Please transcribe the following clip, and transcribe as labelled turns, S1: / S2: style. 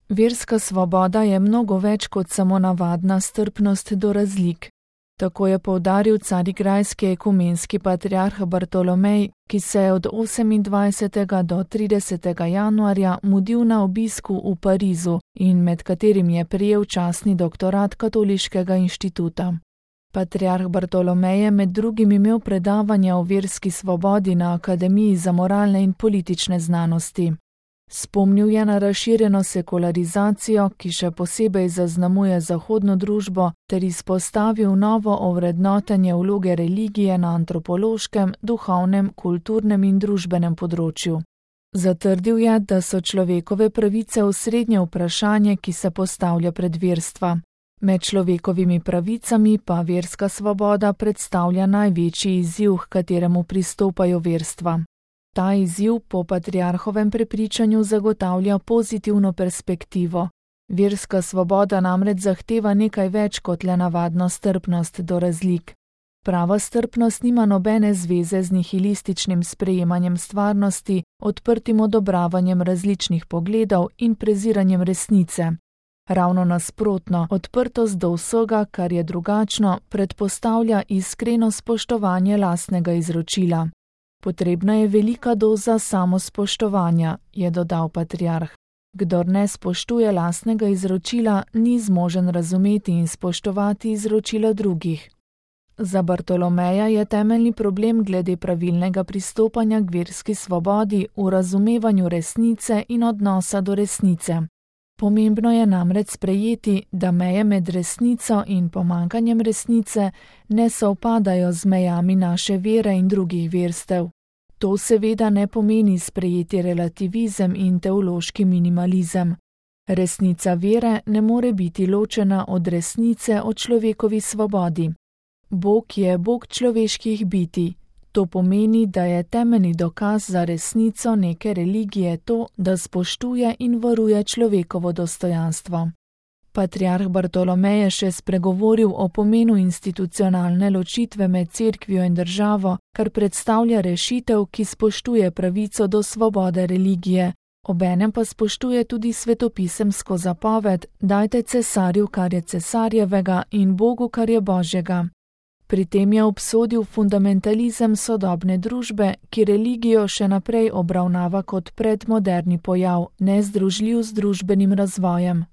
S1: Verska svoboda je mnogo več kot samo navadna strpnost do razlik. Tako je poudaril carigrajski ekumenski patriarh Bartolomej, ki se je od 28. do 30. januarja mudil na obisku v Parizu in med katerim je prejel častni doktorat Katoliškega inštituta. Patriarh Bartolomej je med drugim imel predavanja o verski svobodi na Akademiji za moralne in politične znanosti. Spomnil je na razširjeno sekularizacijo, ki še posebej zaznamuje zahodno družbo, ter izpostavil novo ovrednotenje vloge religije na antropološkem, duhovnem, kulturnem in družbenem področju. Zatrdil je, da so človekove pravice osrednje vprašanje, ki se postavlja pred verstva. Med človekovimi pravicami pa verska svoboda predstavlja največji izziv, h kateremu pristopajo verstva. Ta izziv po patriarhovem prepričanju zagotavlja pozitivno perspektivo. Verska svoboda namreč zahteva nekaj več kot le navadno strpnost do razlik. Prava strpnost nima nobene zveze z nihilističnim sprejemanjem stvarnosti, odprtim odobravanjem različnih pogledov in preziranjem resnice. Ravno nasprotno, odprtost do vsega, kar je drugačno, predpostavlja iskreno spoštovanje lastnega izročila. Potrebna je velika doza samospoštovanja, je dodal patriarh. Kdor ne spoštuje lastnega izročila, ni zmožen razumeti in spoštovati izročila drugih. Za Bartolomeja je temeljni problem glede pravilnega pristopanja k verski svobodi v razumevanju resnice in odnosa do resnice. Pomembno je namreč sprejeti, da meje med resnico in pomanjkanjem resnice ne sovpadajo z mejami naše vere in drugih verstev. To seveda ne pomeni sprejeti relativizem in teološki minimalizem. Resnica vere ne more biti ločena od resnice o človekovi svobodi. Bog je Bog človeških bitij. To pomeni, da je temeljni dokaz za resnico neke religije to, da spoštuje in varuje človekovo dostojanstvo. Patriarh Bartolomej je še spregovoril o pomenu institucionalne ločitve med cerkvijo in državo, kar predstavlja rešitev, ki spoštuje pravico do svobode religije. Obenem pa spoštuje tudi svetopisemsko zapoved: dajte cesarju, kar je cesarjevega, in Bogu, kar je Božjega. Pri tem je obsodil fundamentalizem sodobne družbe, ki religijo še naprej obravnava kot predmoderni pojav, nezdružljiv z družbenim razvojem.